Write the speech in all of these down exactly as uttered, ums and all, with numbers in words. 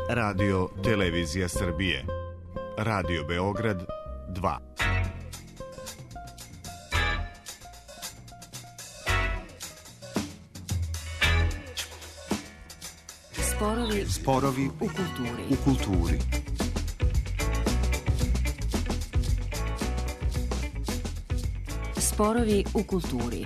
Radio Televizija Srbije, Radio Beograd dva. Sporovi, Sporovi u kulturi. U kulturi. Sporovi u kulturi.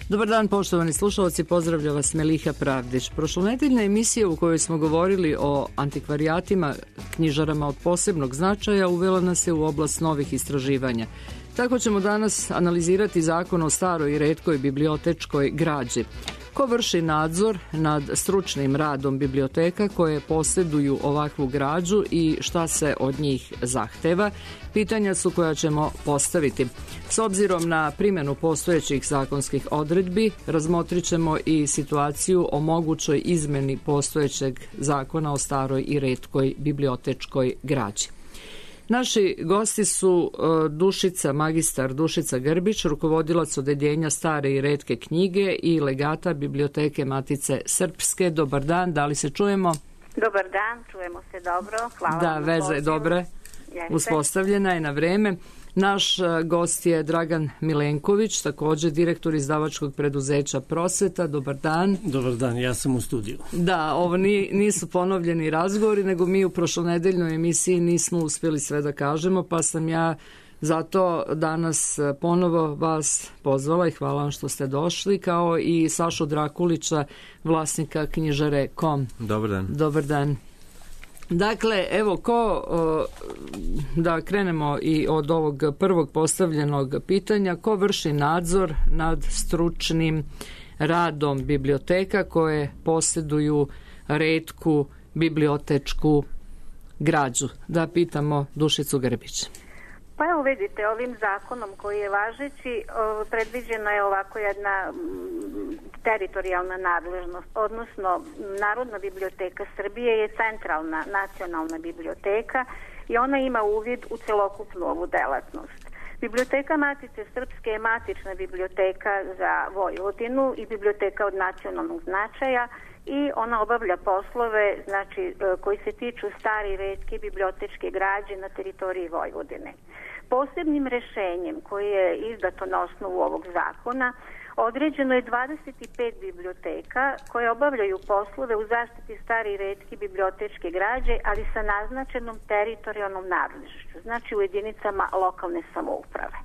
Dobar dan, poštovani slušalci, pozdravlja vas Meliha Pravdić. Prošlonedeljna emisija u kojoj smo govorili o antikvarijatima, knjižarama od posebnog značaja, uvela nas je u oblast novih istraživanja. Tako ćemo danas analizirati zakon o staroj i retkoj bibliotečkoj građi. Ko vrši nadzor nad stručnim radom biblioteka koje posjeduju ovakvu građu i šta se od njih zahteva? Pitanja su koja ćemo postaviti. S obzirom na primjenu postojećih zakonskih odredbi, razmotrit ćemo i situaciju o mogućoj izmeni postojećeg zakona o staroj i retkoj bibliotečkoj građi. Naši gosti su Dušica, magistar Dušica Grbić, rukovodilac odeljenja stare i retke knjige i legata Biblioteke Matice Srpske. Dobar dan, da li se čujemo? Dobar dan, čujemo se dobro. Hvala. Da, veza je dobra, uspostavljena je na vreme. Naš gost je Dragan Milenković, također direktor izdavačkog preduzeća Prosveta. Dobar dan. Dobar dan, ja sam u studiju. Da, ovo nisu ponovljeni razgovori, nego mi u prošlonedeljnoj emisiji nismo uspjeli sve da kažemo, pa sam ja zato danas ponovo vas pozvala i hvala vam što ste došli, kao i Sašu Drakulića, vlasnika knjižare Kom. Dobar dan. Dobar dan. Dakle, evo, ko, da krenemo i od ovog prvog postavljenog pitanja, ko vrši nadzor nad stručnim radom biblioteka koje posjeduju retku bibliotečku građu? Da pitamo Dušicu Grbić. Pa evo vidite, ovim zakonom koji je važeći, predviđena je ovako jedna teritorijalna nadležnost, odnosno Narodna biblioteka Srbije je centralna nacionalna biblioteka i ona ima uvid u celokupnu ovu delatnost. Biblioteka Matice Srpske je matična biblioteka za Vojvodinu i biblioteka od nacionalnog značaja i ona obavlja poslove, znači, koji se tiču stare i retke bibliotečke građe na teritoriji Vojvodine. Posebnim rešenjem koje je izdato na osnovu ovog zakona određeno je dvadeset pet biblioteka koje obavljaju poslove u zaštiti stare i retke bibliotečke građe, ali sa naznačenom teritorijalnom nadležnošću, znači u jedinicama lokalne samouprave.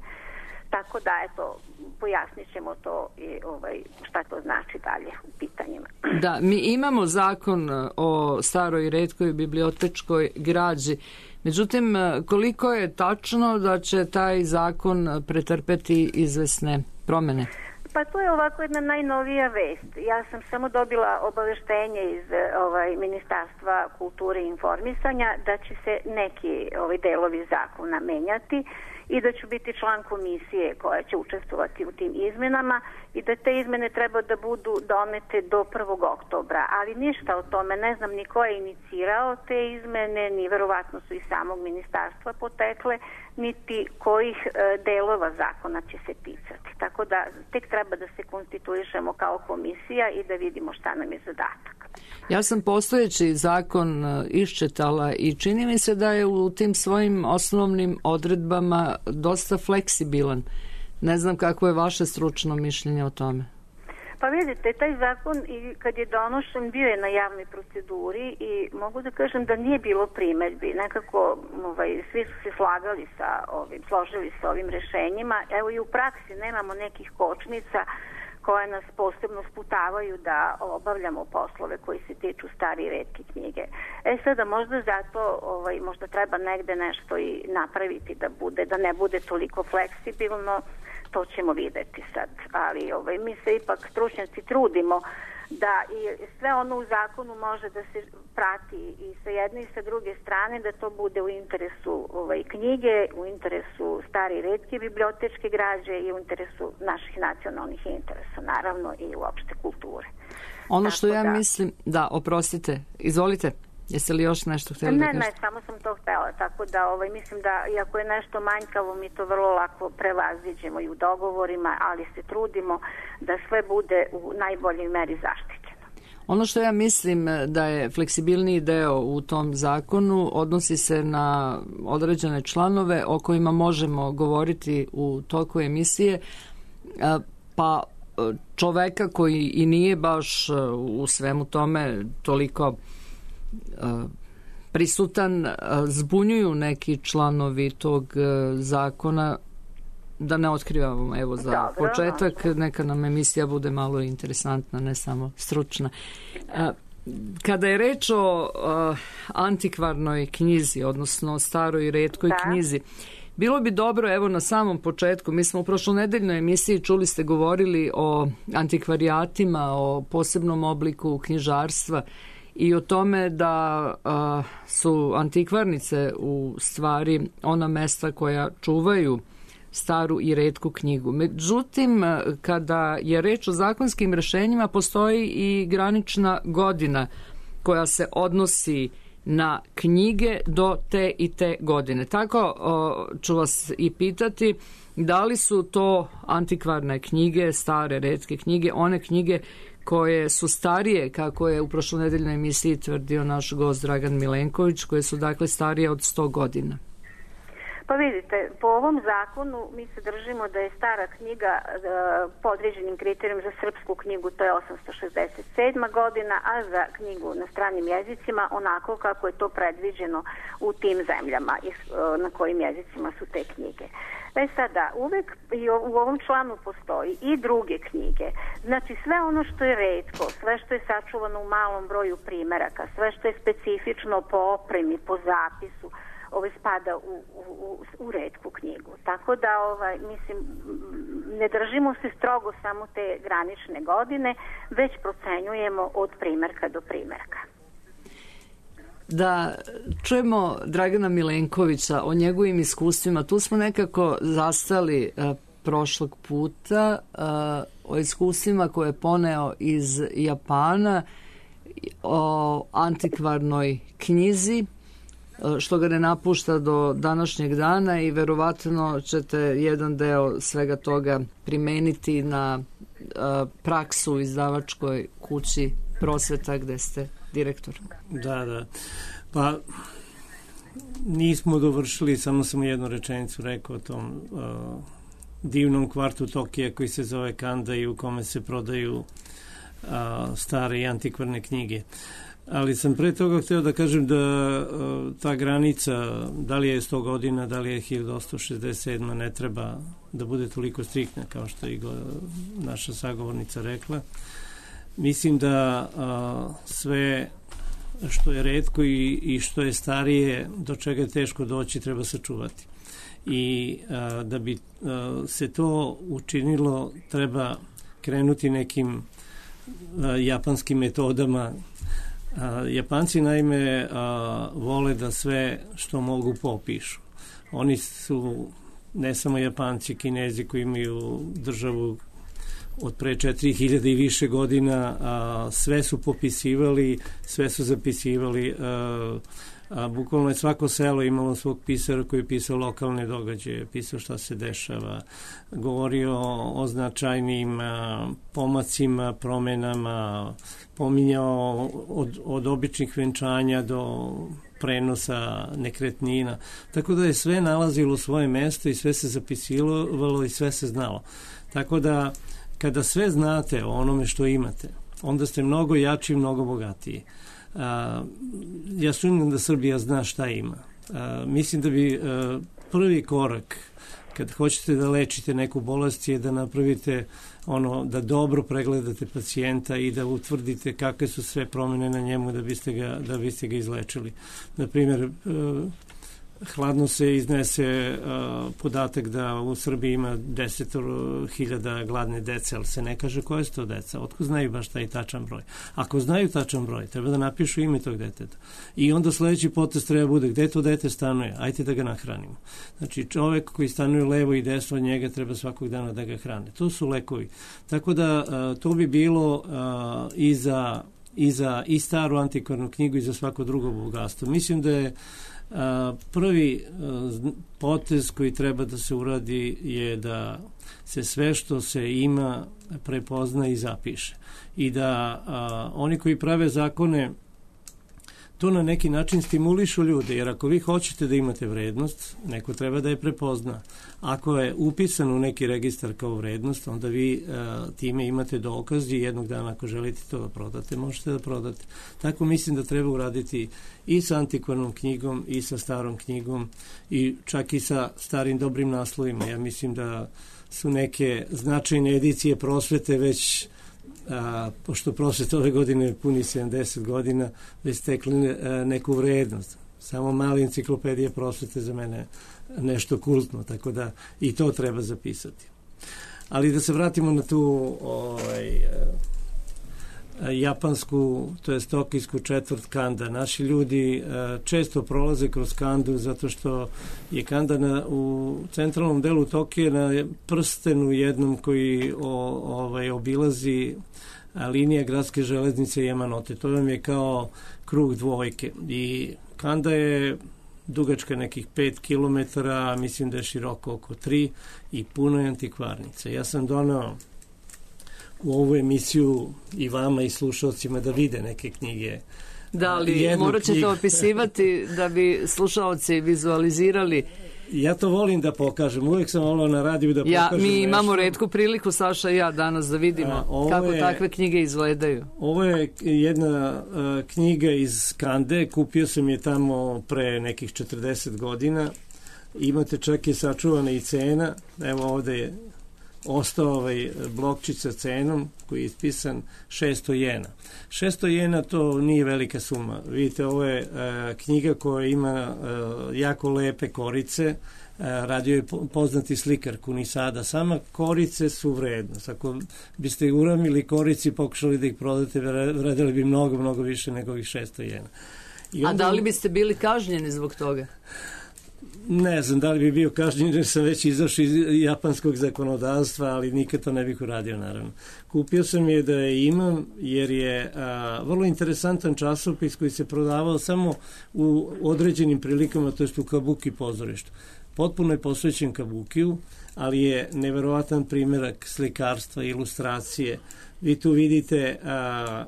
Tako da, eto, pojasnit ćemo to i ovaj, šta to znači dalje u pitanjima. Da, mi imamo zakon o staroj i retkoj bibliotečkoj građi. Međutim, koliko je tačno da će taj zakon pretrpeti izvesne promjene? Pa to je ovako jedna najnovija vest. Ja sam samo dobila obaveštenje iz ovaj, Ministarstva kulture i informisanja da će se neki ovaj, delovi zakona menjati i da ću biti član komisije koja će učestvovati u tim izmenama i da te izmene treba da budu donete do prvog oktobra, ali ništa o tome, ne znam ni ko je inicirao te izmene, ni verovatno su iz samog ministarstva potekle, niti kojih e, delova zakona će se ticati. Tako da tek treba da se konstituišemo kao komisija i da vidimo šta nam je zadatak. Ja sam postojeći zakon iščitala i čini mi se da je u tim svojim osnovnim odredbama dosta fleksibilan. Ne znam kako je vaše stručno mišljenje o tome. Pa vidite, taj zakon i kad je donošen bio je na javnoj proceduri i mogu da kažem da nije bilo primeđbi. Nekako ovaj, svi su se slagali sa ovim, složili sa ovim rešenjima. Evo i u praksi nemamo nekih kočnica koje nas posebno sputavaju da obavljamo poslove koji se tiču stare i retke knjige. E sada možda zato ovaj, možda treba negde nešto i napraviti da bude, da ne bude toliko fleksibilno, to ćemo videti sad. Ali ovaj, mi se ipak stručnjaci trudimo da i sve ono u zakonu može da se prati i sa jedne i sa druge strane, da to bude u interesu ovaj, knjige, u interesu stare i retke bibliotečke građe i u interesu naših nacionalnih interesa, naravno i uopšte kulture. Ono što Tako ja da, mislim, da, oprostite, izvolite. Jeste li još nešto htjeli ne, da kažete? Ne, samo sam to htjela, tako da ovaj, mislim da iako je nešto manjkavo, mi to vrlo lako prevaziđemo i u dogovorima, ali se trudimo da sve bude u najboljoj meri zaštićeno. Ono što ja mislim da je fleksibilniji deo u tom zakonu odnosi se na određene članove o kojima možemo govoriti u toku emisije, pa čoveka koji i nije baš u svemu tome toliko prisutan, zbunjuju neki članovi tog zakona, da ne otkrivamo, evo za Dobro, početak, no. Neka nam emisija bude malo interesantna, ne samo stručna. Kada je reč o antikvarnoj knjizi, odnosno staroj i retkoj da. knjizi, bilo bi dobro, evo na samom početku, mi smo u prošlonedeljnoj emisiji, čuli ste, govorili o antikvarijatima, o posebnom obliku knjižarstva i o tome da a, su antikvarnice u stvari ona mesta koja čuvaju staru i retku knjigu. Međutim, kada je reč o zakonskim rešenjima, postoji i granična godina koja se odnosi na knjige do te i te godine. Tako o, ću vas i pitati, da li su to antikvarne knjige, stare, retke knjige, one knjige koje su starije, kako je u prošlonedeljnoj emisiji tvrdio naš gost Dragan Milenković, koje su dakle starije od sto godina? Pa vidite, po ovom zakonu mi se držimo da je stara knjiga e, po određenim kriterijom za srpsku knjigu, to je osamsto šezdeset sedma godina, a za knjigu na stranim jezicima onako kako je to predviđeno u tim zemljama e, na kojim jezicima su te knjige. E sada, uvek i u ovom članu postoji i druge knjige. Znači sve ono što je retko, sve što je sačuvano u malom broju primeraka, sve što je specifično po opremi, po zapisu, ovaj spada u, u, u retku knjigu. Tako da, ovaj, mislim, ne držimo se strogo samo te granične godine, već procenjujemo od primerka do primerka. Da čujemo Dragana Milenkovića o njegovim iskustvima. Tu smo nekako zastali uh, prošlog puta uh, o iskustvima koje je poneo iz Japana, o antikvarnoj knjizi, što ga ne napušta do današnjeg dana i verovatno ćete jedan deo svega toga primeniti na uh, praksu u izdavačkoj kući Prosveta gde ste direktor. Da, da. Pa nismo dovršili, samo sam jednu rečenicu rekao o tom uh, divnom kvartu Tokija koji se zove Kanda i u kome se prodaju uh, stare i antikvarne knjige. Ali sam pre toga hteo da kažem da uh, ta granica, da li je sto godina, da li je hiljadu osamsto šezdeset sedma, ne treba da bude toliko striktna kao što je naša sagovornica rekla. Mislim da uh, sve što je retko i, i što je starije, do čega je teško doći, treba sačuvati. I uh, da bi uh, se to učinilo, treba krenuti nekim uh, japanskim metodama. A, Japanci naime a, vole da sve što mogu popišu. Oni su ne samo Japanci, Kinezi koji imaju državu od pre četiri hiljade i više godina, a, sve su popisivali, sve su zapisivali. A, a, bukvalno je svako selo imalo svog pisara koji je pisao lokalne događaje, pisao šta se dešava, govorio o značajnim a, pomacima, promenama, pominjao od, od običnih venčanja do prenosa nekretnina. Tako da je sve nalazilo svoje mesto i sve se zapisivalo i sve se znalo. Tako da kada sve znate o onome što imate, onda ste mnogo jači i mnogo bogatiji. A, ja sumnjam da Srbija zna šta ima. A, mislim da bi a, prvi korak kad hoćete da lečite neku bolest je da napravite ono, da dobro pregledate pacijenta i da utvrdite kakve su sve promene na njemu da biste ga, da biste ga izlečili. Na primjer, hladno se iznese uh, podatak da u Srbiji ima deset hiljada gladne dece, ali se ne kaže koje su to deca. Otko znaju baš taj tačan broj? Ako znaju tačan broj, treba da napišu ime tog deteta. I onda sledeći potez treba bude gde to dete stanuje, ajte da ga nahranimo. Znači čovek koji stanuje levo i desno od njega treba svakog dana da ga hrane. To su lekovi. Tako da uh, to bi bilo uh, i za i za i staru antikvarnu knjigu i za svako drugo bogatstvo. Mislim da je a, prvi a, potez koji treba da se uradi je da se sve što se ima prepozna i zapiše. I da a, oni koji prave zakone to na neki način stimulišu ljude, jer ako vi hoćete da imate vrednost, neko treba da je prepozna. Ako je upisan u neki registar kao vrednost, onda vi a, time imate dokaz i jednog dana ako želite to da prodate, možete da prodate. Tako mislim da treba uraditi i sa antikvarnom knjigom i sa starom knjigom i čak i sa starim dobrim naslovima. Ja mislim da su neke značajne edicije prosvete već A, pošto prosveta ove godine puni sedamdeset godina, već stekli ne, a, neku vrednost. Samo mala enciklopedija prosvete za mene nešto kultno, tako da i to treba zapisati. Ali da se vratimo na tu ovaj, a, japansku, to je tokijsku četvrt Kanda. Naši ljudi a, često prolaze kroz Kandu zato što je Kanda na, u centralnom delu Tokije na prstenu jednom koji o, ovaj, obilazi a, linija gradske železnice Yamanote. To vam je kao krug dvojke. I Kanda je dugačka nekih pet kilometara, mislim da je široko oko tri i puno je antikvarnica. Ja sam donao u ovu emisiju i vama i slušalcima da vide neke knjige. Da, ali morat ćete knjigu opisivati da bi slušalci vizualizirali. Ja to volim da pokažem. Uvijek sam volao na radiju da ja, pokažem Mi nešto. Imamo retku priliku, Saša i ja, danas da vidimo A, kako je, takve knjige izgledaju. Ovo je jedna uh, knjiga iz Kande. Kupio sam je tamo pre nekih četrdeset godina. Imate čak i sačuvana i cena. Evo ovde je ostao ovaj blokčić sa cenom koji je ispisan šesto jena. šesto jena to nije velika suma. Vidite, ovo je uh, knjiga koja ima uh, jako lepe korice. Uh, radio je poznati slikar Kunisada. Sama korice su vrednost. Ako biste uramili korici i pokušali da ih prodate, vredili bi mnogo, mnogo više nego ovih šesto jena. I onda... A da li biste bili kažnjeni zbog toga? Ne znam da li bi bio kažnjen jer sam već izašao iz japanskog zakonodavstva, ali nikad to ne bih uradio, naravno. Kupio sam je da je imam jer je a, vrlo interesantan časopis koji se prodavao samo u određenim prilikama, to jest u kabuki pozorištu. Potpuno je posvećen kabukiju, ali je neverovatan primjerak slikarstva i ilustracije. Vi tu vidite a,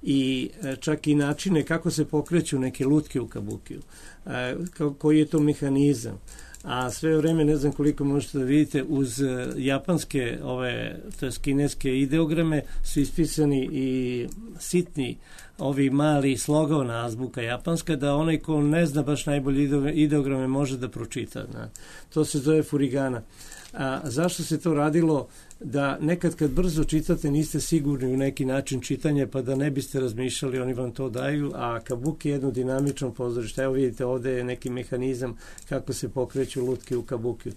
i čak i načine kako se pokreću neke lutke u kabukiju. A, koji je to mehanizam. A sve vreme, ne znam koliko možete da vidite, uz japanske, ove, to je kineske ideograme su ispisani i sitni, ovi mali slogovna azbuka japanska, da onaj ko ne zna baš najbolje ideograme može da pročita. Na. To se zove furigana. A zašto se to radilo? Da nekad kad brzo čitate niste sigurni u neki način čitanja, pa da ne biste razmišljali, oni vam to daju, a kabuki je jedno dinamično pozorište. Evo vidite, ovde je neki mehanizam kako se pokreću lutke u kabukiju.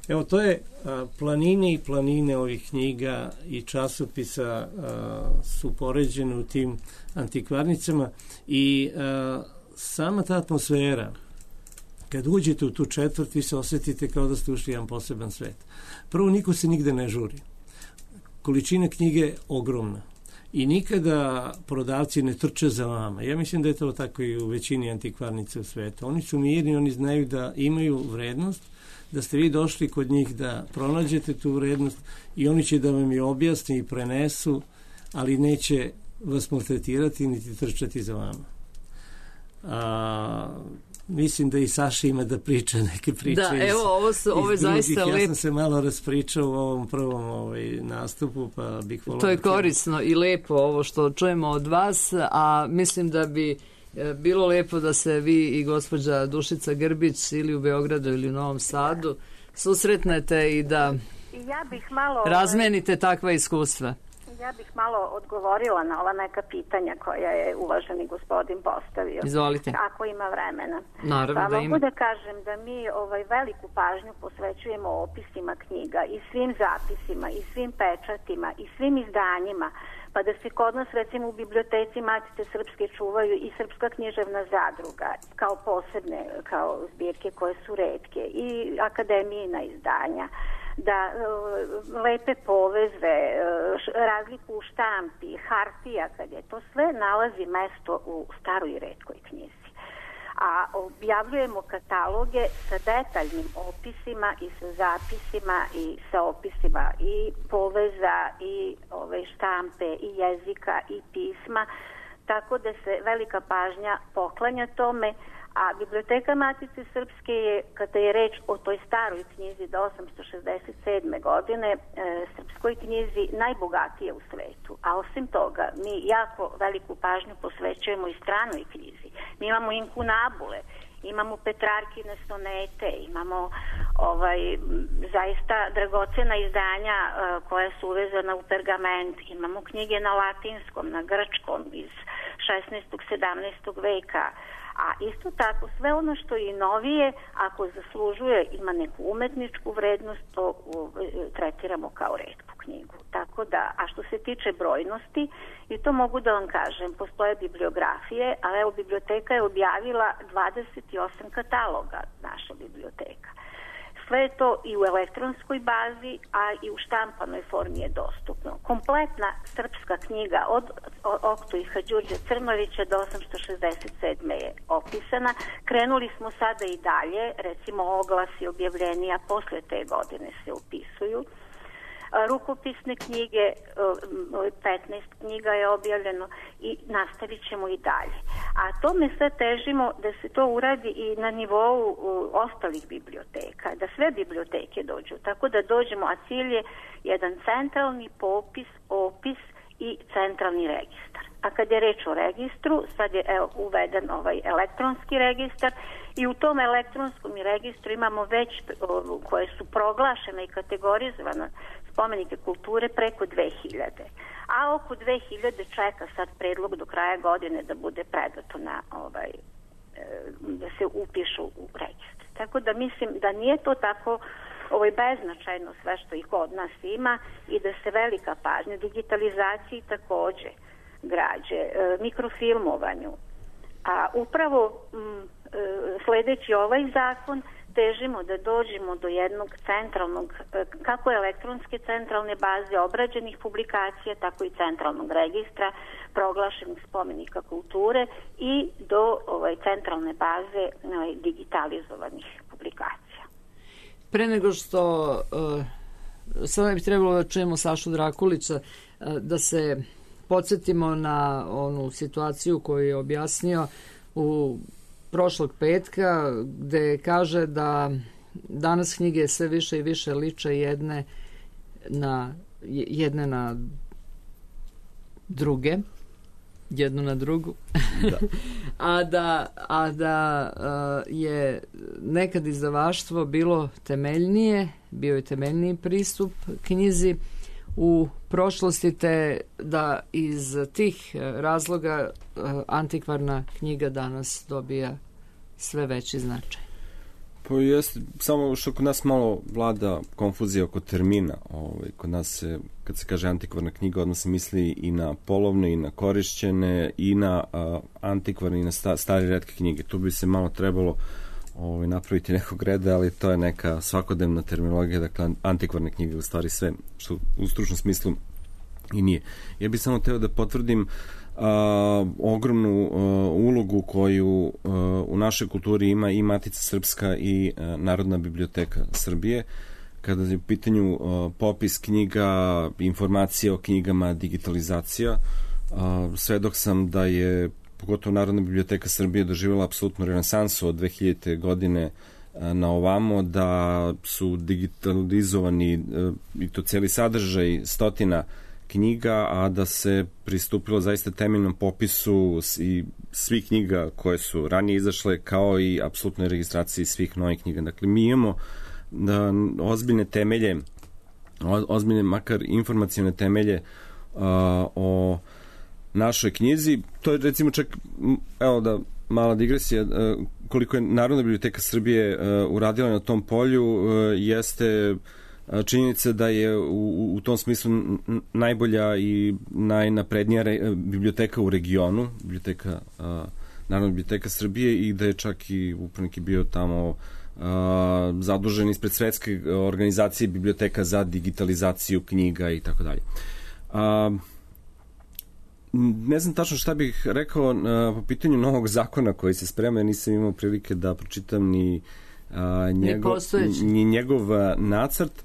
Evo, to je a, planine i planine ovih knjiga i časopisa a, su poređene u tim antikvarnicama i a, sama ta atmosfera, kad uđete u tu četvrt, vi se osjetite kao da ste ušli jedan poseban svet. Prvo, niko se nigde ne žuri. Količina knjige je ogromna. I nikada prodavci ne trče za vama. Ja mislim da je to tako i u većini antikvarnica u svetu. Oni su mirni, oni znaju da imaju vrednost, da ste vi došli kod njih da pronađete tu vrednost i oni će da vam je objasni i prenesu, ali neće vas maltretirati niti trčati za vama. A... Mislim da i Saša ima da priča neke priče. Da, iz, evo, ovo, su, ovo je zaista lepo. Ja sam se malo raspričao u ovom prvom ovaj, nastupu, pa bih volao... To je korisno i lepo ovo što čujemo od vas, a mislim da bi e, bilo lepo da se vi i gospođa Dušica Grbić ili u Beogradu ili u Novom Sadu susretnete i da ja bih malo, razmenite takva iskustva. Ja bih malo odgovorila na ova neka pitanja koja je uvaženi gospodin postavio. Izvolite. Ako ima vremena. Naravno pa da mogu ima. da kažem da mi ovaj, veliku pažnju posvećujemo opisima knjiga i svim zapisima i svim pečatima i svim izdanjima. Pa da se kod nas recimo u biblioteci Matice Srpske čuvaju i Srpska književna zadruga kao posebne, kao zbirke koje su retke i akademijina izdanja. da lepe poveze, razliku u štampi, hartija, kad je to sve nalazi mesto u staroj i retkoj knjizi. A objavljujemo kataloge sa detaljnim opisima i sa zapisima i sa opisima i poveza i ove štampe i jezika i pisma, tako da se velika pažnja poklanja tome. A Biblioteka Matice Srpske je, kada je reč o toj staroj knjizi do osamsto šezdeset sedme godine, e, srpskoj knjizi najbogatija u svetu. A osim toga, mi jako veliku pažnju posvećujemo i stranoj knjizi. Mi imamo inkunabule, imamo Petrarkine sonete, imamo ovaj, zaista dragocena izdanja e, koja su uvezana u pergament, imamo knjige na latinskom, na grčkom iz šesnaestog sedamnaestog veka. A isto tako, sve ono što je novije, ako zaslužuje, ima neku umetničku vrednost, to u, tretiramo kao retku knjigu. Tako da, a što se tiče brojnosti, i to mogu da vam kažem, postoje bibliografije, ali evo, biblioteka je objavila dvadeset osam kataloga, naša biblioteka. Sve je to i u elektronskoj bazi, a i u štampanoj formi je dostupno. Kompletna srpska knjiga od Oktojiha Đurđa Crnovića do osamsto šezdeset sedme je opisana. Krenuli smo sada i dalje, recimo oglasi, objavljenija posle te godine se upisuju. Rukopisne knjige, petnaest knjiga je objavljeno i nastavit ćemo i dalje. A tome sve težimo da se to uradi i na nivou ostalih biblioteka, da sve biblioteke dođu, tako da dođemo, a cilj je jedan centralni popis, opis i centralni registar. A kad je reč o registru, sad je evo, uveden ovaj elektronski registar i u tom elektronskom registru imamo već o, koje su proglašene i kategorizovane spomenike kulture preko dve hiljade. A oko dve hiljade čeka sad predlog do kraja godine da bude predato na ovaj, da se upišu u registar. Tako da mislim da nije to tako ovaj, beznačajno sve što i kod nas ima i da se velika pažnja digitalizaciji takođe građe, mikrofilmovanju. A upravo m, sledeći ovaj zakon težimo da dođemo do jednog centralnog, kako elektronske centralne baze obrađenih publikacija, tako i centralnog registra proglašenih spomenika kulture i do ovaj, centralne baze ovaj, digitalizovanih publikacija. Pre nego što uh, sada bi trebalo da čujemo Sašu Drakulića, uh, da se podsjetimo na onu situaciju koju je objasnio u prošlog petka, gde kaže da danas knjige sve više i više liče jedne na, jedne na druge, jednu na drugu, da. a da, a da uh, je nekad izdavaštvo bilo temeljnije, bio je temeljniji pristup knjizi u prošlosti, te da iz tih razloga antikvarna knjiga danas dobija sve veći značaj. Pa jeste, samo što kod nas malo vlada konfuzija oko termina. Ovaj, kod nas se, kad se kaže antikvarna knjiga, odmah se misli i na polovne, i na korišćene, i na a, antikvarne, i na sta, stare retke knjige. Tu bi se malo trebalo ovaj, napraviti nekog reda, ali to je neka svakodnevna terminologija, dakle antikvarne knjige u stvari sve, što u stručnom smislu i nije. Ja bih samo teo da potvrdim a, ogromnu a, ulogu koju a, u našoj kulturi ima i Matica Srpska i a, Narodna biblioteka Srbije, kada je u pitanju a, popis knjiga, informacije o knjigama, digitalizacija. A, svedok sam da je pogotovo Narodna biblioteka Srbije doživjela apsolutnu renesansu od dve hiljadite godine na ovamo, da su digitalizovani i to cijeli sadržaj stotina knjiga, a da se pristupilo zaista temeljnom popisu i svih knjiga koje su ranije izašle, kao i apsolutnoj registraciji svih novih knjiga. Dakle, mi imamo da, ozbiljne temelje, ozbiljne makar informacijone temelje a, o našoj knjizi. To je recimo čak, evo da mala digresija, koliko je Narodna biblioteka Srbije uradila na tom polju, jeste činjenica da je u, u tom smislu najbolja i najnaprednija re, biblioteka u regionu, biblioteka, Narodna biblioteka Srbije, i da je čak i upravnik bio tamo zadužen ispred Svetske organizacije biblioteka za digitalizaciju knjiga i tako dalje. Ne znam tačno šta bih rekao po pitanju novog zakona koji se sprema, nisam imao prilike da pročitam ni njegov, ni njegov nacrt.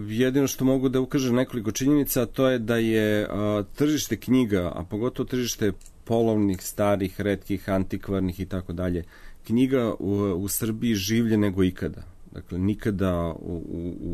Jedino što mogu da ukažem nekoliko činjenica, to je da je tržište knjiga, a pogotovo tržište polovnih, starih, retkih, antikvarnih i tako dalje, knjiga u, u Srbiji življe nego ikada. Dakle, nikada u,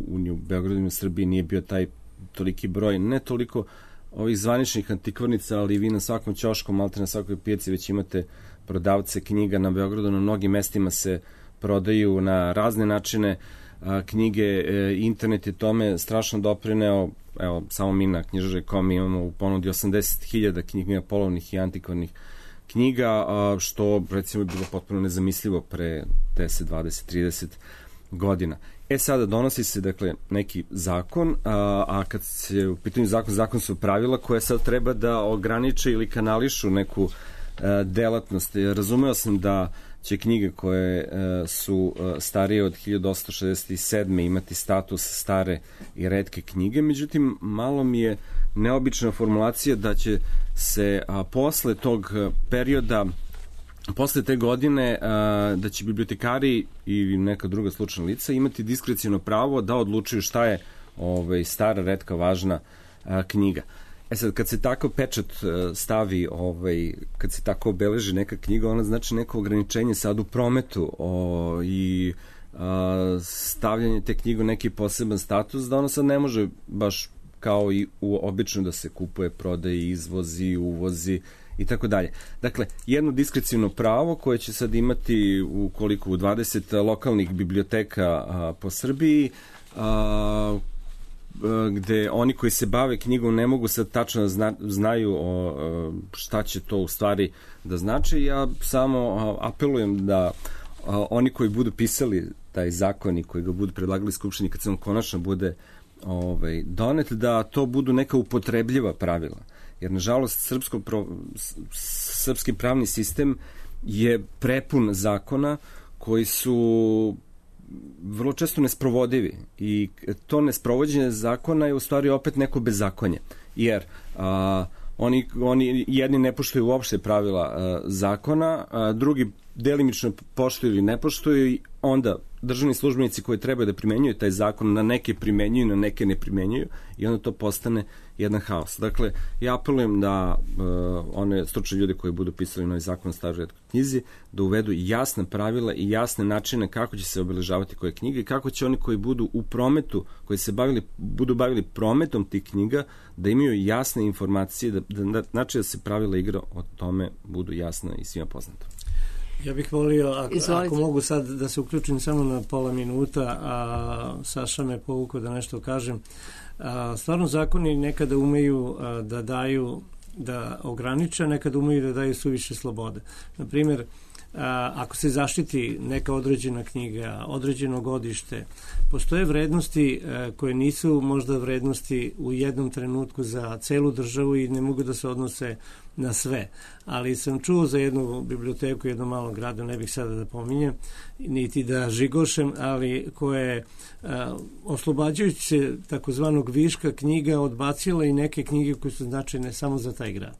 u, u Beogradu i u Srbiji nije bio taj toliki broj, ne toliko ovih zvaničnih antikvarnica, ali vi na svakom ćošku, malte na svakoj pijaci već imate prodavce knjiga na Beogradu, na mnogim mestima se prodaju na razne načine a, knjige, e, internet je tome strašno doprineo, evo, samo mi na knjižare tačka com imamo u ponudi osamdeset hiljada knjiga polovnih i antikvarnih knjiga, a, što recimo je bilo potpuno nezamislivo pre deset, dvadeset, trideset godina. E sada donosi se dakle neki zakon, a, a kad se u pitanju zakon, zakon su pravila koje sad treba da ograniče ili kanališu neku a, delatnost. Razumeo sam da će knjige koje a, su a, starije od hiljadu osamsto šezdeset sedme imati status stare i retke knjige, međutim malo mi je neobična formulacija da će se a, posle tog perioda, posle te godine, a, da će bibliotekari i neka druga slučajna lica imati diskreciono pravo da odlučuju šta je ovaj, stara, retka, važna a, knjiga. E sad, kad se tako pečat stavi, ovaj, kad se tako obeleži neka knjiga, ona znači neko ograničenje sad u prometu o, i a, stavljanje te knjige u neki poseban status, da ona sad ne može baš kao i u obično da se kupuje, prodaje, izvozi, uvozi i tako dalje. Dakle, jedno diskrecijno pravo koje će sad imati u koliko u dvadeset lokalnih biblioteka a, po Srbiji, a, gde oni koji se bave knjigom ne mogu sad tačno zna, znaju o, šta će to u stvari da znači. Ja samo apelujem da oni koji budu pisali taj zakon i koji ga budu predlagali Skupštini kad se on konačno bude ovaj, donet, da to budu neka upotrebljiva pravila. Jer, nažalost, srpsko pro, srpski pravni sistem je prepun zakona koji su vrlo često nesprovodivi i to nesprovođenje zakona je u stvari opet neko bezakonje, jer a, oni, oni jedni ne poštuju uopšte pravila a, zakona, a drugi delimično poštuju ili ne poštuju i onda državni službenici koji trebaju da primenjuju taj zakon na neke primenjuju, na neke ne primenjuju i onda to postane jedan haos. Dakle, ja apelujem da uh, one stručne ljude koji budu pisali novi zakon o staroj retkoj knjizi da uvedu jasna pravila i jasne načine kako će se obeležavati koje knjige i kako će oni koji budu u prometu, koji se bavili, budu bavili prometom tih knjiga, da imaju jasne informacije, da, da, znači da se pravila igra o tome budu jasna i svima poznata. Ja bih volio, ako, ako mogu sad da se uključim samo na pola minuta, a Saša me povukao da nešto kažem. A, stvarno zakoni nekada umeju a, da daju, da ograniče, nekada umeju da daju suviše slobode. Na primjer, a, ako se zaštiti neka određena knjiga, određeno godište, postoje vrednosti a, koje nisu možda vrednosti u jednom trenutku za celu državu i ne mogu da se odnose na sve. Ali sam čuo za jednu biblioteku, jednom malom gradu, ne bih sada da pominjem, niti da žigošem, ali koje a, oslobađajući se takozvanog viška knjiga odbacila i neke knjige koje su značajne samo za taj grad.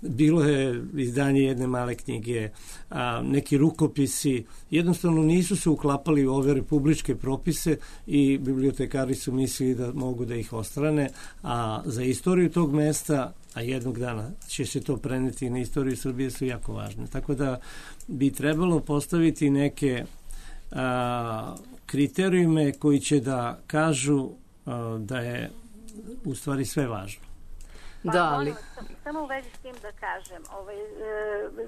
Bilo je izdanje jedne male knjige, a, neki rukopisi, jednostavno nisu se uklapali u ove republičke propise i bibliotekari su mislili da mogu da ih ostrane, a za istoriju tog mesta, a jednog dana će se to preneti na istoriju Srbije, su jako važne. Tako da bi trebalo postaviti neke a, kriterijume koji će da kažu a, da je u stvari sve važno. Pa, da, ali... Samo u vezi s tim da kažem, ovaj, e,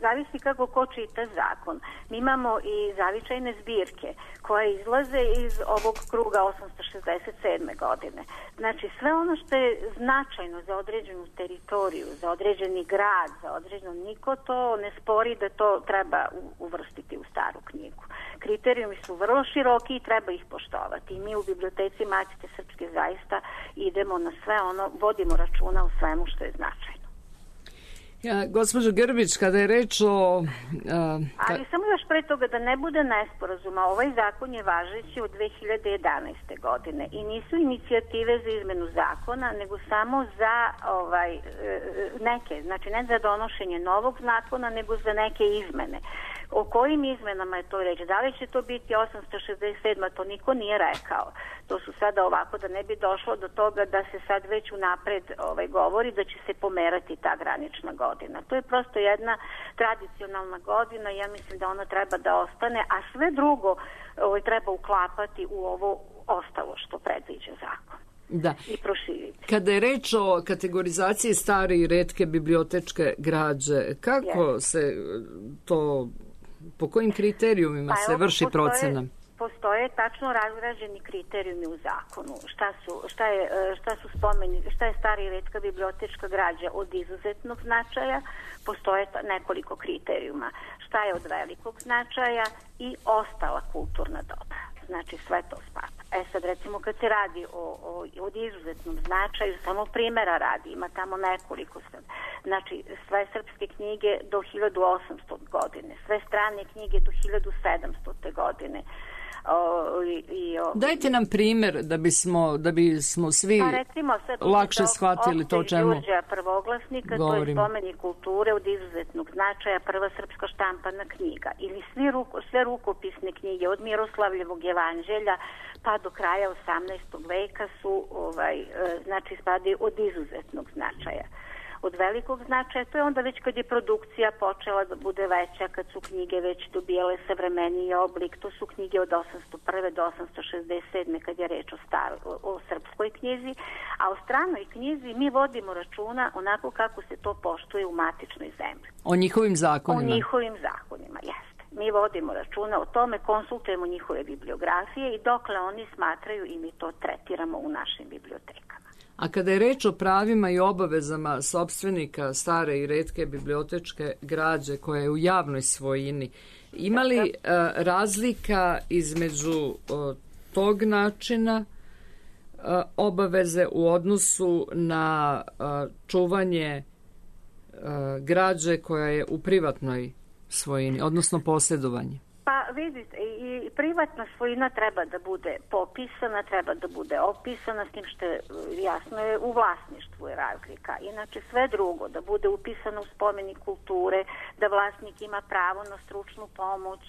zavisi kako ko čita zakon. Mi imamo i zavičajne zbirke koje izlaze iz ovog kruga osamsto šezdeset sedme godine. Znači, sve ono što je značajno za određenu teritoriju, za određeni grad, za određeno, niko to ne spori da to treba uvrstiti u staru knjigu. Kriterijumi su vrlo široki i treba ih poštovati. I mi u biblioteci Matice Srpske zaista idemo na sve ono, vodimo računa o svemu što je značajno. Ja, gospođo Grbić, kada je reč o... A, ka... Ali samo još pre toga da ne bude nesporazuma, ovaj zakon je važeći od dve hiljade jedanaeste. godine i nisu inicijative za izmenu zakona, nego samo za ovaj, neke, znači ne za donošenje novog zakona, nego za neke izmene. O kojim izmenama je to reč? Da li će to biti osamsto šezdeset sedma? To niko nije rekao. To su sada ovako da ne bi došlo do toga da se sad već unapred ovaj, govori da će se pomerati ta granična godina. To je prosto jedna tradicionalna godina i ja mislim da ona treba da ostane, a sve drugo ovaj, treba uklapati u ovo ostalo što predviđa zakon. Da. I proširiti. Kada je reč o kategorizaciji stare i retke bibliotečke građe, kako yes. se to, po kojim kriterijumima pa, se vrši postoje, procena? Postoje tačno razrađeni kriterijumi u zakonu. Šta su, šta je, šta su spomeni, šta je stara i retka bibliotečka građa od izuzetnog značaja, postoje nekoliko kriterijuma. Šta je od velikog značaja i ostala kulturna dobra. Znači sve to spada. E sad recimo kad se radi o, o, od izuzetnom značaju, samo primjera radi, ima tamo nekoliko sad. Znači sve srpske knjige do hiljadu osamstote. godine, sve strane knjige do hiljadu sedamstote. godine. O, i, i, o, Dajte nam primjer da bismo, da bismo svi pa recimo, sad, lakše shvatili to čemu Đurđeja prvoglasnika, govorim. To je spomenik kulture od izuzetnog značaja, prva srpska štampana knjiga. Ili svi ruko, sve rukopisne knjige od Miroslavljevog evanđelja pa do kraja osamnaestog. veka su ovaj, znači spadaju od izuzetnog značaja. Od velikog značaja, to je onda već kad je produkcija počela da bude veća, kad su knjige već dobijale savremeniji oblik, to su knjige od osamsto prve. do osamsto šezdeset sedme. kad je reč o, star, o, o srpskoj knjizi, a o stranoj knjizi mi vodimo računa onako kako se to poštuje u matičnoj zemlji. O njihovim zakonima? O njihovim zakonima, jeste. Mi vodimo računa o tome, konsultujemo njihove bibliografije i dokle oni smatraju i mi to tretiramo u našim bibliotekama. A kada je reč o pravima i obavezama sopstvenika stare i retke bibliotečke građe koja je u javnoj svojini, ima li uh, razlika između uh, tog načina uh, obaveze u odnosu na uh, čuvanje uh, građe koja je u privatnoj svojini, odnosno posjedovanje? Pa vidite, i privatna svojina treba da bude popisana, treba da bude opisana, s tim što je jasno je u vlasništvu je razlika. Inače sve drugo, da bude upisano u spomenik kulture, da vlasnik ima pravo na stručnu pomoć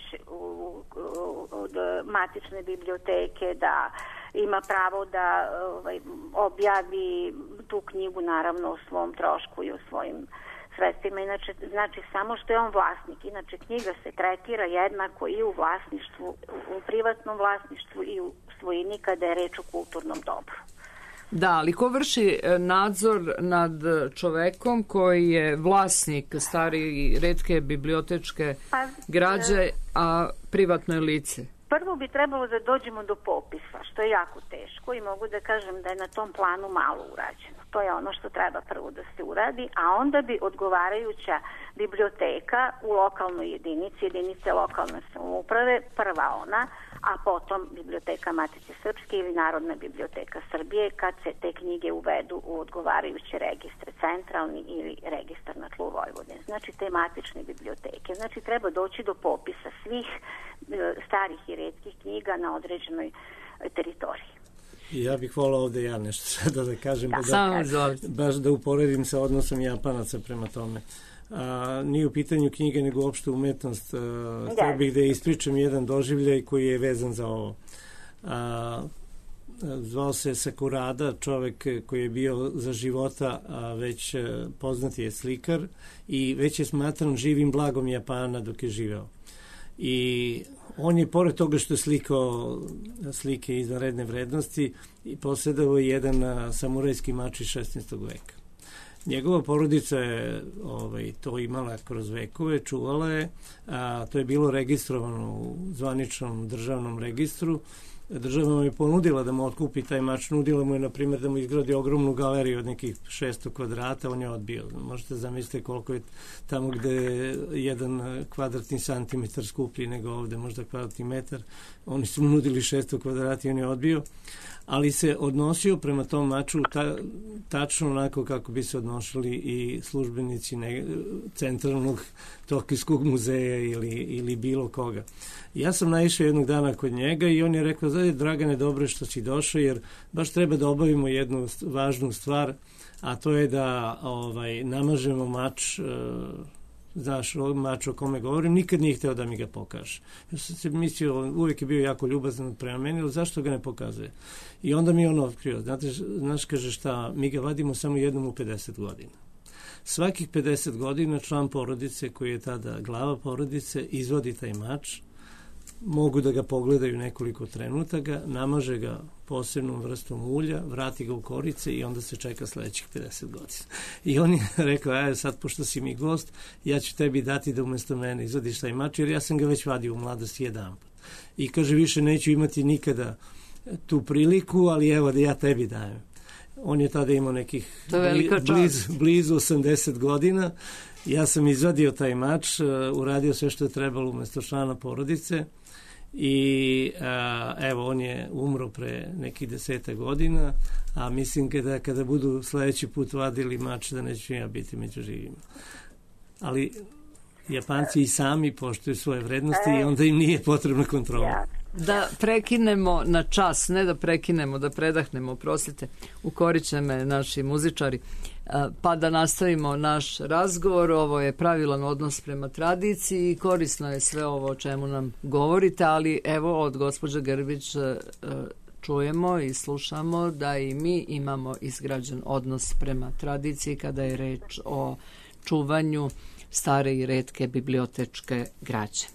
od matične biblioteke, da ima pravo da ovaj, objavi tu knjigu naravno o svom trošku i o svojim sredstvima. Inače, znači samo što je on vlasnik. Inače, knjiga se tretira jednako i u vlasništvu, u privatnom vlasništvu i u svojini kada je reč o kulturnom dobru. Da, ali ko vrši nadzor nad čovekom koji je vlasnik stare i retke bibliotečke pa, građe, a privatno je lice? Prvo bi trebalo da dođemo do popisa, što je jako teško i mogu da kažem da je na tom planu malo urađeno. To je ono što treba prvo da se uradi, a onda bi odgovarajuća biblioteka u lokalnoj jedinici, jedinice lokalne samouprave, prva ona, a potom biblioteka Matice Srpske ili Narodna biblioteka Srbije, kad se te knjige uvedu u odgovarajuće registre, centralni ili registar na tlu Vojvodine. Znači te matične biblioteke. Znači treba doći do popisa svih starih i retkih knjiga na određenoj teritoriji. Ja bih volao ovde ja nešto sada da kažem, da, da, baš da uporedim sa odnosom Japanaca prema tome. A, nije u pitanju knjige, nego uopšte umetnost. A, htio bih da ispričam jedan doživljaj koji je vezan za ovo. A, zvao se Sakurada, čovek koji je bio za života a, već poznati je slikar i već je smatran živim blagom Japana dok je živeo. I on je, pored toga što je slikao slike izvanredne vrednosti, i posjedao je jedan a, samurajski mač iz šesnaestog. veka. Njegova porodica je ovaj, to imala kroz vekove, čuvala je, a to je bilo registrovano u zvaničnom državnom registru. Država mu je ponudila da mu otkupi taj mač, nudila mu je, na primjer, da mu izgradi ogromnu galeriju od nekih šesto kvadrata, on je odbio. Možete zamisliti koliko je tamo gde je jedan kvadratni santimetar skuplji nego ovde, možda kvadratni metar. Oni su mu nudili šesto kvadrata i on je odbio. ali se odnosio prema tom maču ta, tačno onako kako bi se odnosili i službenici ne, centralnog Tokijskog muzeja ili, ili bilo koga. Ja sam naišao jednog dana kod njega i on je rekao, da je Dragane, dobro što si došao, jer baš treba da obavimo jednu važnu stvar, a to je da ovaj, namažemo mač, znaš, mač o kome govorim, nikad nije hteo da mi ga pokaže. Ja sam se mislio, uvijek je bio jako ljubazan prema meni, ali zašto ga ne pokazuje? I onda mi je on otkrio, znate, znaš, kaže šta, mi ga vadimo samo jednom u pedeset godina. Svakih pedeset godina član porodice, koji je tada glava porodice, izvodi taj mač, mogu da ga pogledaju nekoliko trenutaka, namaže ga posebnom vrstom ulja, vrati ga u korice i onda se čeka sledećih pedeset godina. I on je rekao, aj sad, pošto si mi gost, ja ću tebi dati da umesto mene izvadiš taj mač, jer ja sam ga već vadio u mladosti jedan put. I kaže, više neću imati nikada tu priliku, ali evo da ja tebi dajem. On je tada imao nekih blizu, blizu osamdeset godina. Ja sam izvadio taj mač, uradio sve što je trebalo umesto člana porodice i a, evo, on je umro pre nekih deseta godina, a mislim kada, kada budu sledeći put vadili mač da neću ja biti među živima. Ali Japanci i sami poštuju svoje vrednosti i onda im nije potrebna kontrola. Da prekinemo na čas, ne da prekinemo, da predahnemo, prostite, ukoriće me naši muzičari, pa da nastavimo naš razgovor. Ovo je pravilan odnos prema tradiciji i korisno je sve ovo o čemu nam govorite, ali evo od gospođe Grbić čujemo i slušamo da i mi imamo izgrađen odnos prema tradiciji kada je reč o čuvanju stare i retke bibliotečke građe.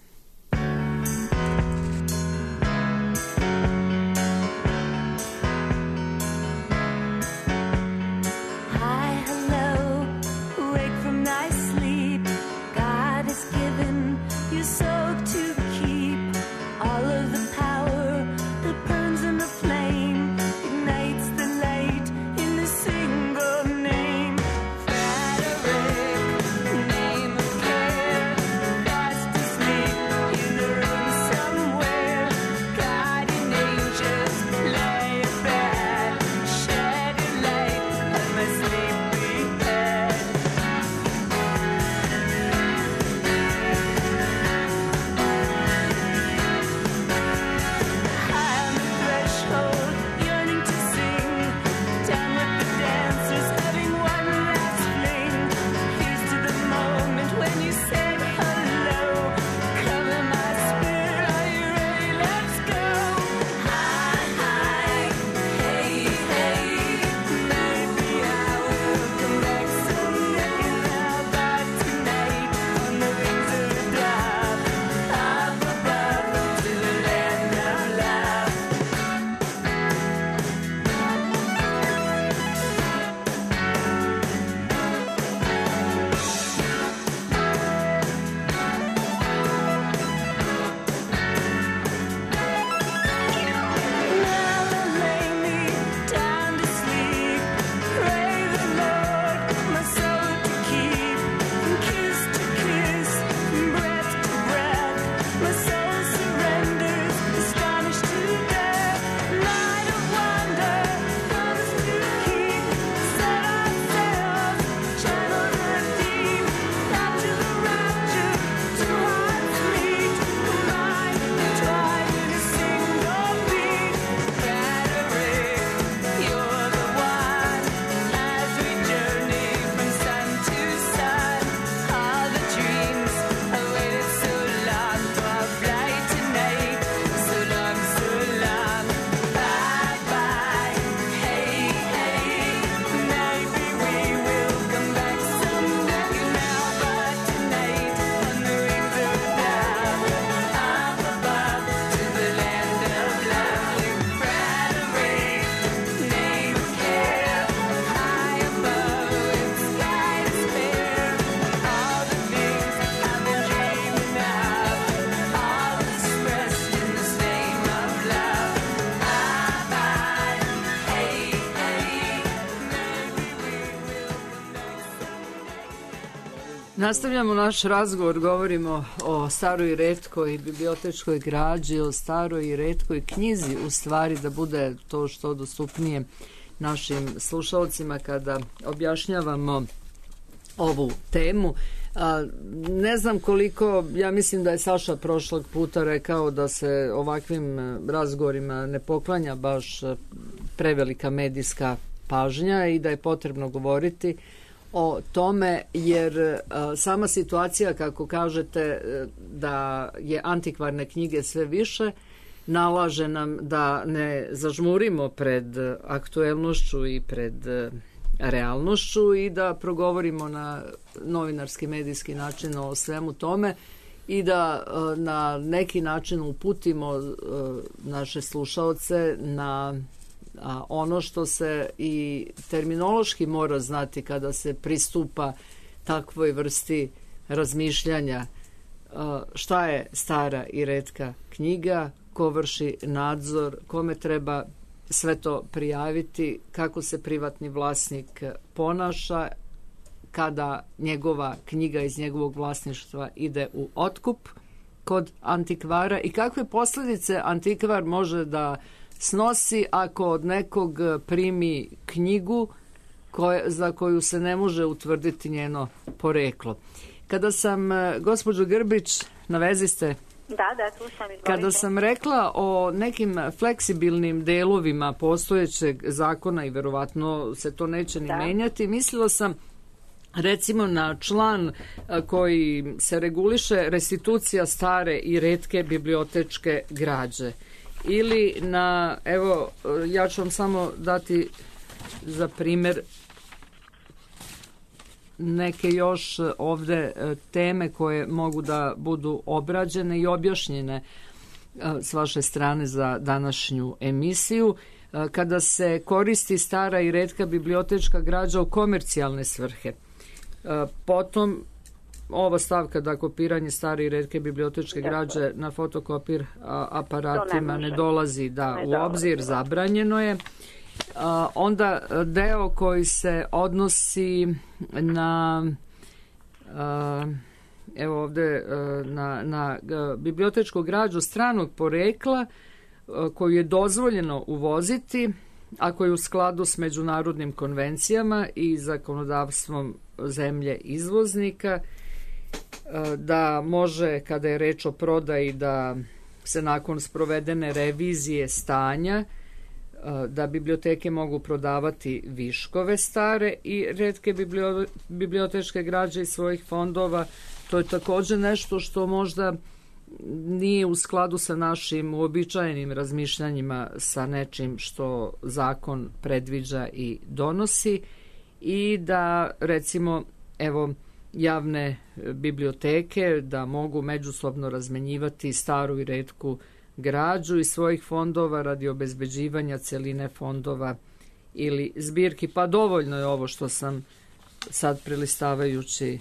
Name of care, fast asleep. Nastavljamo naš razgovor, govorimo o staroj i retkoj bibliotečkoj građi, o staroj i retkoj knjizi, u stvari da bude to što dostupnije našim slušalcima kada objašnjavamo ovu temu. A, ne znam koliko, ja mislim da je Saša prošlog puta rekao da se ovakvim razgovorima ne poklanja baš prevelika medijska pažnja i da je potrebno govoriti o tome, jer a, sama situacija, kako kažete, da je antikvarne knjige sve više, nalaže nam da ne zažmurimo pred aktuelnošću i pred realnošću i da progovorimo na novinarski medijski način o svemu tome i da na neki način uputimo naše slušaoce na ono što se i terminološki mora znati kada se pristupa takvoj vrsti razmišljanja. Šta je stara i retka knjiga, ko vrši nadzor, kome treba sve to prijaviti, kako se privatni vlasnik ponaša kada njegova knjiga iz njegovog vlasništva ide u otkup kod antikvara i kakve posljedice antikvar može da snosi ako od nekog primi knjigu koje, za koju se ne može utvrditi njeno poreklo. Kada sam, gospođo Grbić, na vezi ste? Da, da, tu sam, izvolite. Kada sam rekla o nekim fleksibilnim delovima postojećeg zakona i verovatno se to neće ni da. menjati, mislila sam recimo na član koji se reguliše restitucija stare i retke bibliotečke građe. Ili na, evo, ja ću vam samo dati za primjer neke još ovde teme koje mogu da budu obrađene i objašnjene s vaše strane za današnju emisiju. Kada se koristi stara i retka bibliotečka građa u komercijalne svrhe. Potom ova stavka da kopiranje stare i retke bibliotečke građe na fotokopir aparatima ne, ne dolazi da ne u obzir, dolazi, zabranjeno je. A, onda deo koji se odnosi na a, evo ovde a, na, na a, bibliotečku građu stranog porekla a, koju je dozvoljeno uvoziti ako je u skladu s međunarodnim konvencijama i zakonodavstvom zemlje izvoznika, a, da može, kada je reč o prodaji, da se nakon sprovedene revizije stanja da biblioteke mogu prodavati viškove stare i retke bibliotečke građe iz svojih fondova. To je također nešto što možda nije u skladu sa našim uobičajenim razmišljanjima, sa nečim što zakon predviđa i donosi, i da recimo evo javne biblioteke da mogu međusobno razmenjivati staru i retku građu iz svojih fondova radi obezbeđivanja celine fondova ili zbirki. Pa dovoljno je ovo što sam sad prelistavajući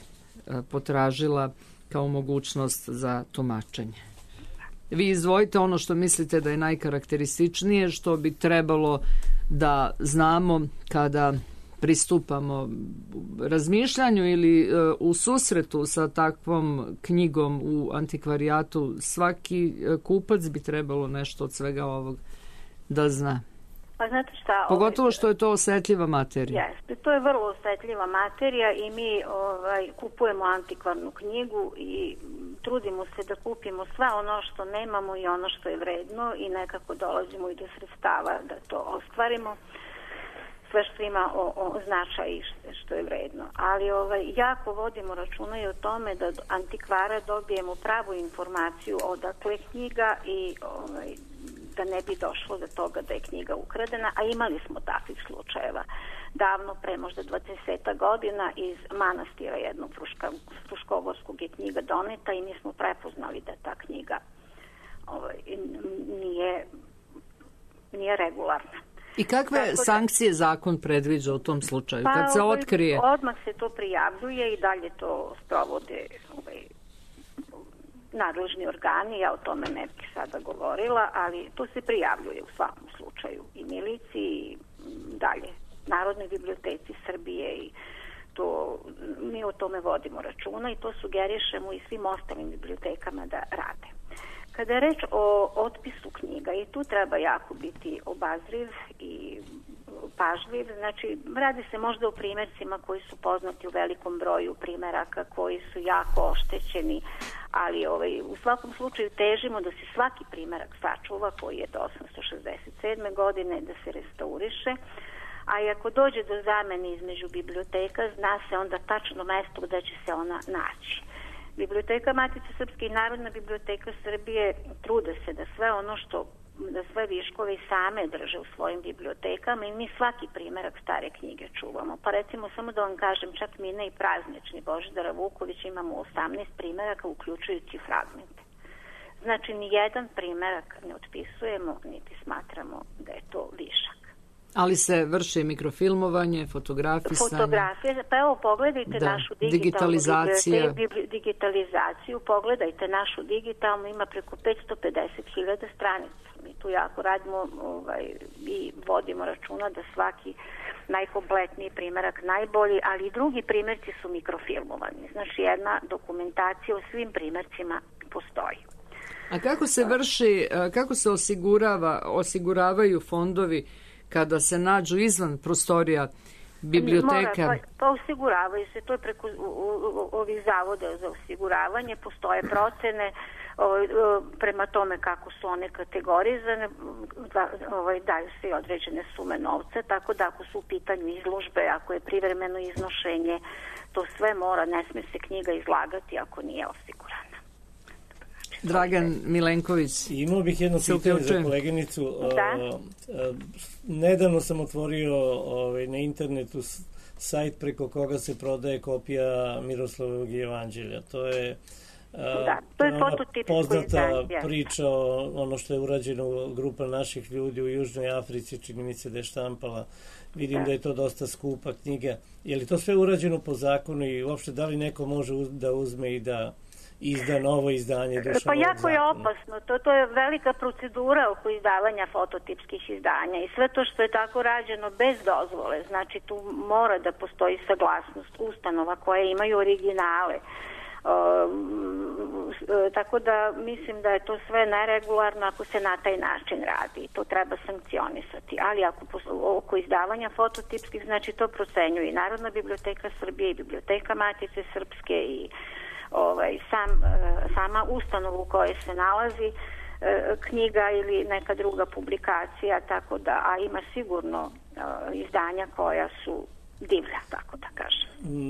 potražila kao mogućnost za tumačenje. Vi izdvojite ono što mislite da je najkarakterističnije, što bi trebalo da znamo kada pristupamo razmišljanju ili uh, u susretu sa takvom knjigom u antikvarijatu. Svaki uh, kupac bi trebalo nešto od svega ovog da zna. Pa znate šta? Pogotovo ovaj, što je to osetljiva materija. Jeste, to je vrlo osetljiva materija i mi ovaj, kupujemo antikvarnu knjigu i trudimo se da kupimo sve ono što nemamo i ono što je vredno i nekako dolazimo i do sredstava da to ostvarimo. Sve što ima o, o značaj i što je vredno. Ali ovaj, jako vodimo računa i o tome da od antikvara dobijemo pravu informaciju odakle knjiga i ovaj, da ne bi došlo do toga da je knjiga ukradena, a imali smo takvih slučajeva davno, pre možda dvadeset godina, iz manastira jednog Fruška, Fruškogorskog je knjiga doneta i mi smo prepoznali da ta knjiga ovaj, nije, nije regularna. I kakve Tako sankcije zakon predviđa u tom slučaju, pa, kad se otkrije? Odmah se to prijavljuje i dalje to sprovode ovaj, nadležni organi, ja o tome ne bih sada govorila, ali to se prijavljuje u svakom slučaju i miliciji i dalje Narodnoj biblioteci Srbije i to, mi o tome vodimo računa i to sugerišemo i svim ostalim bibliotekama da rade. Kada je reč o otpisu knjiga, i tu treba jako biti obazriv i pažljiv, znači radi se možda o primjercima koji su poznati u velikom broju primjeraka, koji su jako oštećeni, ali ovaj, u svakom slučaju težimo da se svaki primjerak sačuva koji je do osamsto šezdeset sedme godine, da se restauriše, a i ako dođe do zamene između biblioteka, zna se onda tačno mesto gde će se ona naći. Biblioteka Matice Srpske i Narodna biblioteka Srbije trude se da sve ono što, da sve viškove i same drže u svojim bibliotekama i mi svaki primjerak stare knjige čuvamo. Pa recimo, samo da vam kažem, čak Mine i Praznični Božidara Vukovića imamo osamnaest primjeraka, uključujući fragmente. Znači, ni jedan primjerak ne otpisujemo, niti smatramo da je to višak. Ali se vrši mikrofilmovanje, fotografisanje. Fotografije, pa evo pogledajte da, našu digitalizaciju. digitalizaciju, pogledajte našu digitalnu, ima preko petsto pedeset hiljada stranica. Mi tu jako radimo ovaj, i vodimo računa da svaki najkompletniji primjerak najbolji, ali i drugi primjerci su mikrofilmovani. Znači jedna dokumentacija o svim primjercima postoji. A kako se vrši, kako se osigurava, osiguravaju fondovi kada se nađu izvan prostorija biblioteka? Mora, pa, pa osiguravaju se, to je preko u, u, ovih zavoda za osiguravanje, postoje procene o, o, prema tome kako su one kategorizane, da, ovaj, daju se i određene sume novca, tako da ako su u pitanju izložbe, ako je privremeno iznošenje, to sve mora, ne smije se knjiga izlagati ako nije osigurana. Dragan Milenković. Imao bih jedno pitanje za koleginicu. Da? Nedavno sam otvorio ovaj, na internetu sajt preko koga se prodaje kopija Miroslavovog evanđelja. To je, da, to je poznata izdanje. priča o ono što je urađeno grupa naših ljudi u Južnoj Africi, čini mi se da je štampala. Vidim da, da je to dosta skupa knjiga. Je li to sve urađeno po zakonu i uopšte da li neko može da uzme i da izda novo izdanje Dušanovog Pa jako zakona? Je opasno. To, to je velika procedura oko izdavanja fototipskih izdanja i sve to što je tako rađeno bez dozvole. Znači tu mora da postoji saglasnost ustanova koje imaju originale. Um, tako da mislim da je to sve neregularno ako se na taj način radi. To treba sankcionisati. Ali ako oko izdavanja fototipskih, znači to procenjuje i Narodna biblioteka Srbije i Biblioteka Matice Srpske i ovaj, sam, sama ustanova u kojoj se nalazi knjiga ili neka druga publikacija, tako da, a ima sigurno izdanja koja su divlja, tako da kažem.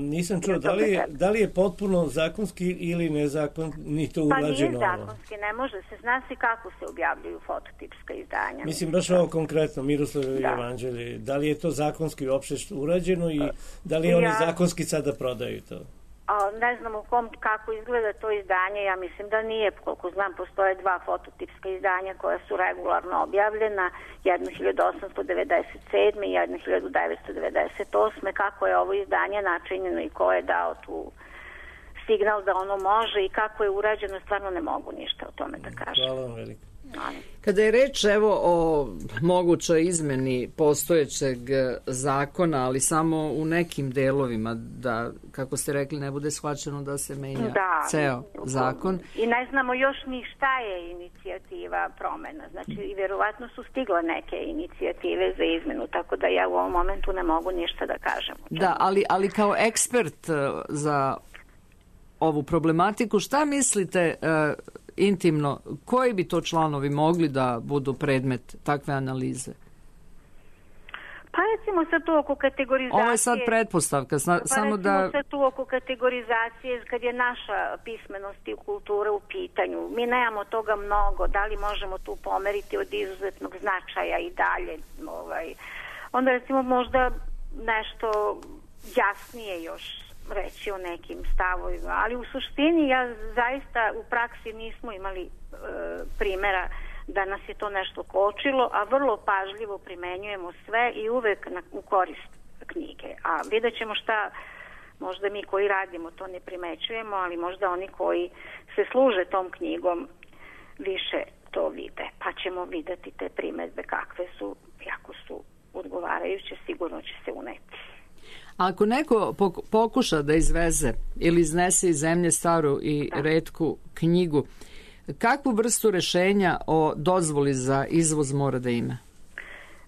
Nisam čuo, da li je, da li je potpuno zakonski ili nezakonito urađeno? Pa nije zakonski, ne može se, zna se kako se objavljuju fototipska izdanja. Mislim, baš ovo konkretno, Miroslavljevo evanđelje, da li je to zakonski uopšte urađeno i da li oni ja... zakonski sada prodaju to? A, ne znam u kom, kako izgleda to izdanje, ja mislim da nije, koliko znam, postoje dva fototipska izdanja koja su regularno objavljena, jedno hiljadu osamsto devedeset sedme i jedno hiljadu devetsto devedeset osme Kako je ovo izdanje načinjeno i ko je dao tu signal da ono može i kako je urađeno, stvarno ne mogu ništa o tome da kažem. Hvala vam veliko. Kada je reč evo o mogućoj izmeni postojećeg zakona, ali samo u nekim delovima, da, kako ste rekli, ne bude shvaćeno da se menja da, ceo zakon. I ne znamo još ni šta je inicijativa promena. Znači, i vjerovatno su stigle neke inicijative za izmenu, tako da ja u ovom momentu ne mogu ništa da kažem. Da, ali, ali kao ekspert za ovu problematiku, šta mislite uh, intimno, koji bi to članovi mogli da budu predmet takve analize? Pa recimo sad tu oko kategorizacije... Ovo je sad pretpostavka, sna, pa samo da... Pa recimo sad tu oko kategorizacije, kad je naša pismenost i kultura u pitanju, mi nemamo toga mnogo, da li možemo tu pomeriti od izuzetnog značaja i dalje, ovaj, onda recimo možda nešto jasnije još reći o nekim stavovima, ali u suštini ja zaista u praksi nismo imali e, primjera da nas je to nešto kočilo, a vrlo pažljivo primenjujemo sve i uvek na, u korist knjige. A vidjet ćemo šta, možda mi koji radimo to ne primećujemo, ali možda oni koji se služe tom knjigom više to vide. Pa ćemo videti te primedbe kakve su, jako su odgovarajuće, sigurno će se uneti. Ako neko pokuša da izveze ili iznese iz zemlje staru i da. retku knjigu, kakvu vrstu rešenja o dozvoli za izvoz mora da ima?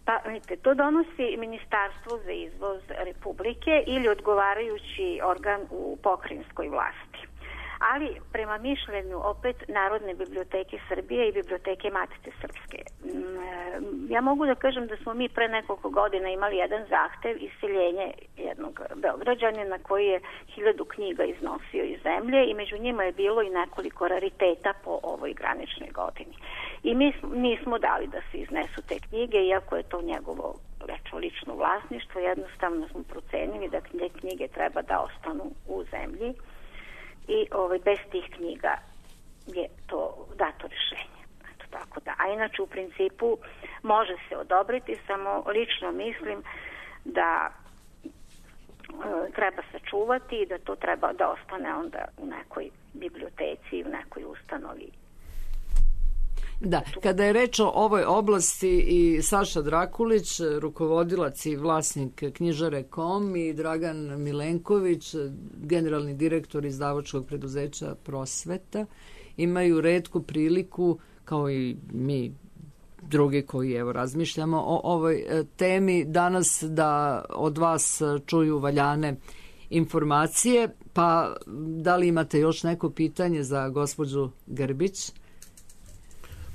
Pa, vidite, to donosi Ministarstvo za izvoz Republike ili odgovarajući organ u pokrajinskoj vlasti. Ali prema mišljenju opet Narodne biblioteke Srbije i Biblioteke Matice Srpske. Ja mogu da kažem da smo mi pre nekoliko godina imali jedan zahtev iseljenje jednog Beograđanina koji je hiljadu knjiga iznosio iz zemlje i među njima je bilo i nekoliko rariteta po ovoj graničnoj godini. I mi nismo dali da se iznesu te knjige, iako je to njegovo lično vlasništvo, jednostavno smo procenili da te knjige treba da ostanu u zemlji. I ovaj, bez tih knjiga je to dato rešenje. Eto, tako da. A inače u principu može se odobriti, samo lično mislim da e, treba sačuvati i da to treba da ostane onda u nekoj biblioteci, u nekoj ustanovi. Da, kada je reč o ovoj oblasti i Saša Drakulić, rukovodilac i vlasnik knjižare kom i Dragan Milenković, generalni direktor izdavačkog preduzeća Prosveta, imaju retku priliku, kao i mi drugi koji evo razmišljamo o ovoj temi, danas da od vas čuju valjane informacije. Pa da li imate još neko pitanje za gospođu Grbić?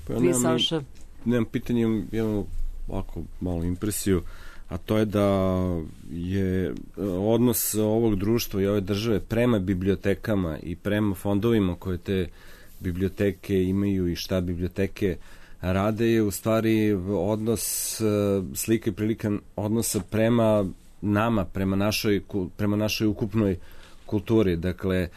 Pa ja nemam, Saša? nemam pitanje, imam ovako malu impresiju, a to je da je odnos ovog društva i ove države prema bibliotekama i prema fondovima koje te biblioteke imaju i šta biblioteke rade je u stvari odnos, slika i prilika odnosa prema nama, prema našoj, prema našoj ukupnoj kulturi. Dakle,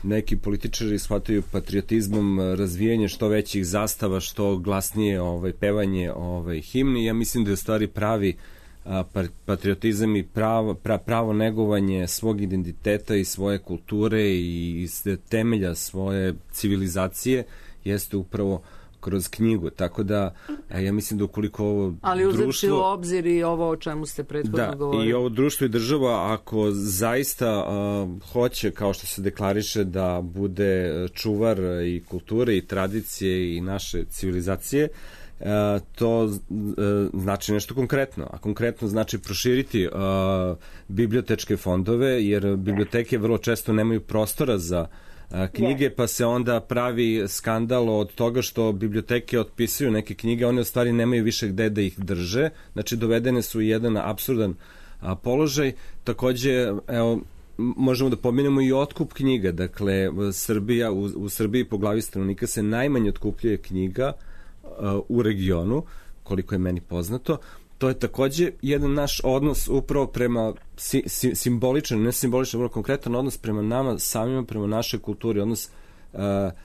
neki političari shvataju patriotizmom razvijanje što većih zastava, što glasnije ovaj, pevanje ovaj, himni. Ja mislim da je u stvari pravi a, patriotizam i pravo, pra, pravo negovanje svog identiteta i svoje kulture i temelja svoje civilizacije jeste upravo kroz knjigu, tako da ja mislim da ukoliko ovo ali uzeti društvo... u obzir i ovo o čemu ste prethodno da, govorili. I ovo društvo i država, ako zaista uh, hoće, kao što se deklariše, da bude čuvar i kulture i tradicije i naše civilizacije, uh, to uh, znači nešto konkretno. A konkretno znači proširiti uh, bibliotečke fondove, jer biblioteke vrlo često nemaju prostora za knjige, pa se onda pravi skandal od toga što biblioteke otpisuju neke knjige, one u stvari nemaju više gde da ih drže, znači dovedene su u jedan apsurdan a, položaj. Takođe, evo, možemo da pomenemo i otkup knjiga, dakle, Srbija, u, u Srbiji po glavi stanovnika se najmanje otkupljuje knjiga a, u regionu, koliko je meni poznato. To je takođe jedan naš odnos upravo prema si, si, simboličan, ne simboličan, vrlo konkretan odnos prema nama samima, prema našoj kulturi, odnos uh,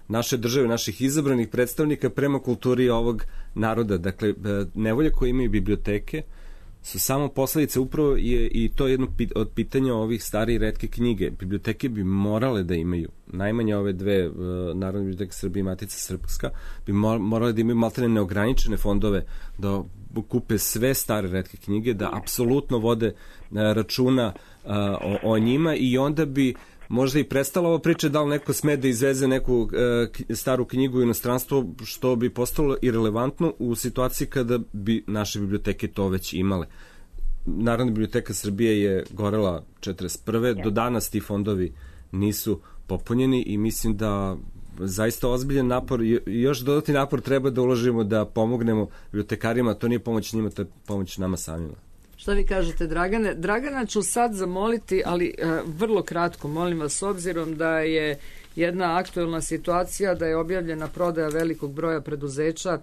naše države, naših izabranih predstavnika prema kulturi ovog naroda. Dakle, uh, nevolje koje imaju biblioteke su samo posledice upravo je, i to je jedno pit, od pitanja ovih stare i retke knjige. Biblioteke bi morale da imaju, najmanje ove dve, uh, Narodne biblioteke Srbije i Matica Srpska, bi morale da imaju maltene neograničene fondove da kupe sve stare retke knjige, da apsolutno vode računa o, o njima i onda bi možda i prestala ova priča da li neko sme da izveze neku staru knjigu u inostranstvo, što bi postalo irelevantno u situaciji kada bi naše biblioteke to već imale. Narodna biblioteka Srbije je gorela četrdeset prve Do danas ti fondovi nisu popunjeni i mislim da zaista ozbiljan napor i još dodatni napor treba da uložimo da pomognemo bibliotekarima, to nije pomoć njima, to je pomoć nama samima. Šta vi kažete, Dragane? Dragana ću sad zamoliti, ali uh, vrlo kratko, molim vas, s obzirom da je jedna aktuelna situacija, da je objavljena prodaja velikog broja preduzeća,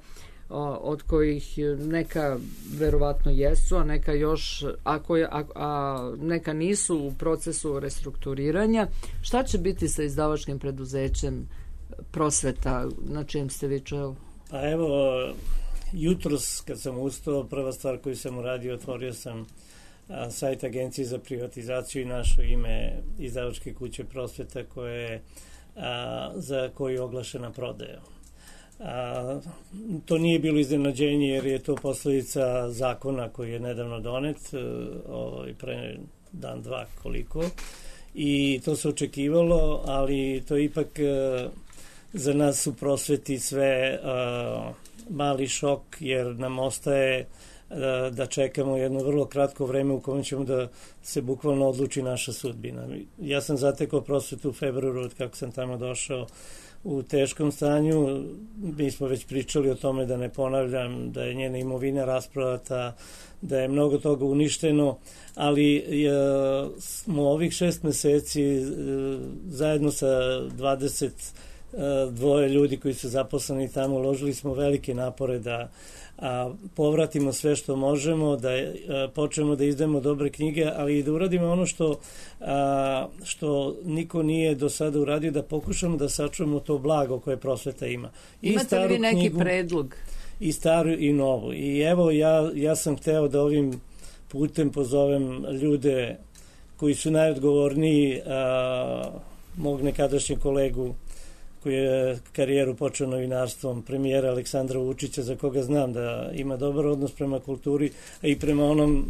od kojih neka verovatno jesu, a neka još, a, koje, a, a neka nisu u procesu restrukturiranja. Šta će biti sa izdavačkim preduzećem Prosveta, na čijem ste vi čelu? Pa evo, jutros kad sam ustao, prva stvar koju sam uradio, otvorio sam a, sajt Agencije za privatizaciju i našo ime izdavačke kuće Prosveta koje, a, za koju je oglašena prodaja. A, to nije bilo iznenađenje jer je to posledica zakona koji je nedavno donet, o, pre dan, dva, koliko. I to se očekivalo, ali to ipak za nas u prosveti sve mali šok, jer nam ostaje da čekamo jedno vrlo kratko vreme u kojem ćemo da se bukvalno odluči naša sudbina. Ja sam zatekao prosvetu u februaru od kako sam tamo došao u teškom stanju. Mi smo već pričali o tome, da ne ponavljam, da je njena imovina rasprodata, da je mnogo toga uništeno, ali smo ovih šest meseci zajedno sa dvadeset dvoje ljudi koji su zaposleni tamo, uložili smo velike napore da a, povratimo sve što možemo, da a, počnemo da izdajemo dobre knjige, ali i da uradimo ono što, a, što niko nije do sada uradio, da pokušamo da sačuvamo to blago koje prosveta ima. I imate li vi neki knjigu, predlog? I staru i novu. I evo, ja, ja sam hteo da ovim putem pozovem ljude koji su najodgovorniji, a, mog nekadašnjeg kolegu koji je karijeru počeo novinarstvom, premijera Aleksandra Vučića, za koga znam da ima dobar odnos prema kulturi, a i prema onom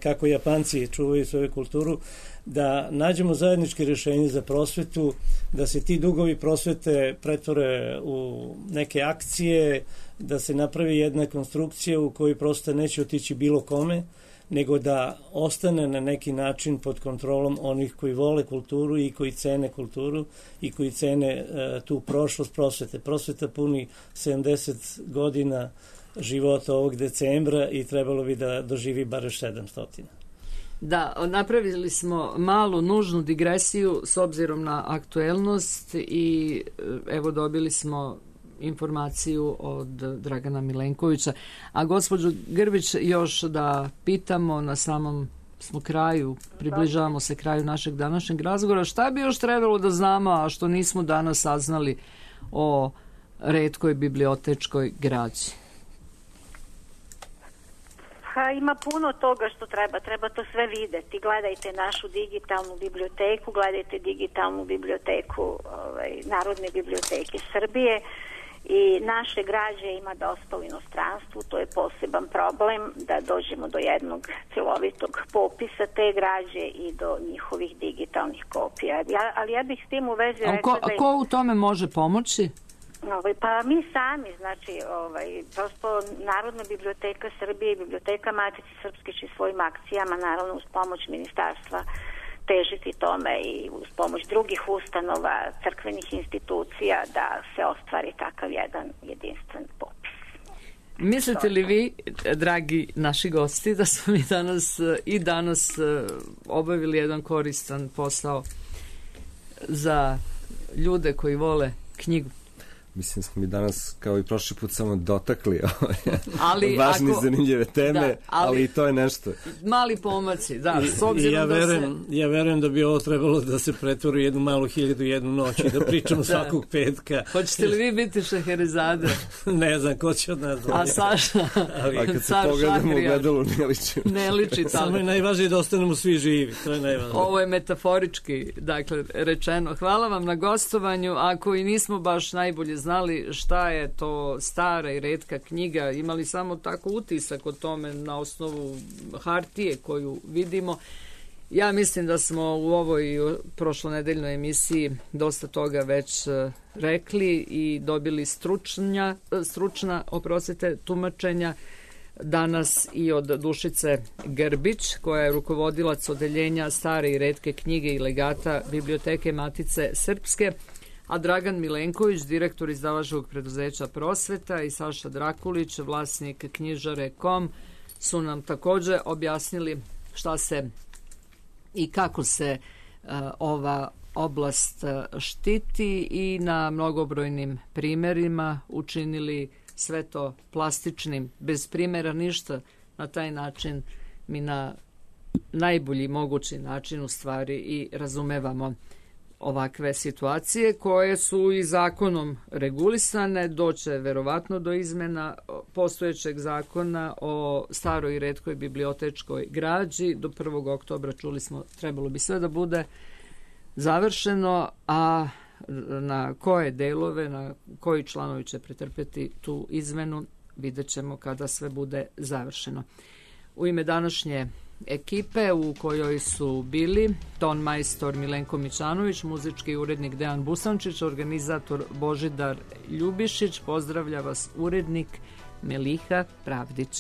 kako Japanci čuvaju svoju kulturu, da nađemo zajedničke rješenje za prosvetu, da se ti dugovi prosvete pretvore u neke akcije, da se napravi jedna konstrukcija u kojoj prosto neće otići bilo kome, nego da ostane na neki način pod kontrolom onih koji vole kulturu i koji cene kulturu i koji cene e, tu prošlost prosvete. Prosveta puni sedamdeset godina života ovog decembra i trebalo bi da doživi bar sedamsto. Da, napravili smo malu nužnu digresiju s obzirom na aktuelnost i evo dobili smo informaciju od Dragana Milenkovića. A gospođo Grbić, još da pitamo, na samom smo kraju, približavamo se kraju našeg današnjeg razgovora, šta bi još trebalo da znamo, a što nismo danas saznali o retkoj bibliotečkoj građi? Ha, ima puno toga što treba, treba to sve videti. Gledajte našu digitalnu biblioteku, gledajte digitalnu biblioteku ovaj, Narodne biblioteke Srbije. I naše građe ima dosta u inostranstvu, to je poseban problem da dođemo do jednog celovitog popisa te građe i do njihovih digitalnih kopija. Ja, ali ja bih s tim u vezi a rekla ko, da... A ko u tome može pomoći? Ovaj, pa mi sami, znači, ovaj, prosto Narodna biblioteka Srbije i Biblioteka Matice Srpske će svojim akcijama, naravno uz pomoć ministarstva, težiti tome i uz pomoć drugih ustanova, crkvenih institucija da se ostvari takav jedan jedinstven popis. Mislite li vi, dragi naši gosti, da smo mi danas i danas obavili jedan koristan posao za ljude koji vole knjigu? Mislim smo mi danas, kao i prošli put, samo dotakli ali važne ako, zanimljive teme, da, ali, ali i to je nešto. Mali pomaci, da. I, s obzirom ja, da verujem, se... ja verujem da bi ovo trebalo da se pretvori jednu malu hiljadu jednu noć i da pričamo da. svakog petka. Hoćete li vi biti Šeherezade? Ne znam, ko će od nas dvoje. A Saša? Ali, a kad se pogledamo u gledalu, ne liči. Ne liči tamo. Samo je najvažnije da ostanemo svi živi, to je najvažnije. Ovo je metaforički, dakle, rečeno. Hvala vam na gostovanju. Ako i nismo baš najbolje znali šta je to stara i retka knjiga, imali samo tako utisak o tome na osnovu hartije koju vidimo. Ja mislim da smo u ovoj prošlonedeljnoj emisiji dosta toga već rekli i dobili stručnja, stručna, oprostite, tumačenja danas i od Dušice Grbić, koja je rukovodilac odeljenja stare i retke knjige i legata Biblioteke Matice Srpske, a Dragan Milenković, direktor izdavačkog preduzeća Prosveta, i Saša Drakulić, vlasnik knjižare punkt com, su nam također objasnili šta se i kako se uh, ova oblast štiti i na mnogobrojnim primjerima učinili sve to plastičnim, bez primjera ništa. Na taj način mi na najbolji mogući način u stvari i razumevamo ovakve situacije koje su i zakonom regulisane. Doće verovatno do izmena postojećeg zakona o staroj i retkoj bibliotečkoj građi. Do prvog oktobra, čuli smo, trebalo bi sve da bude završeno, a na koje delove, na koji članovi će pretrpeti tu izmenu, vidjet ćemo kada sve bude završeno. U ime današnje ekipe u kojoj su bili ton majstor Milenko Mičanović, muzički urednik Dejan Busančić, organizator Božidar Ljubišić. Pozdravlja vas urednik Meliha Pravdić.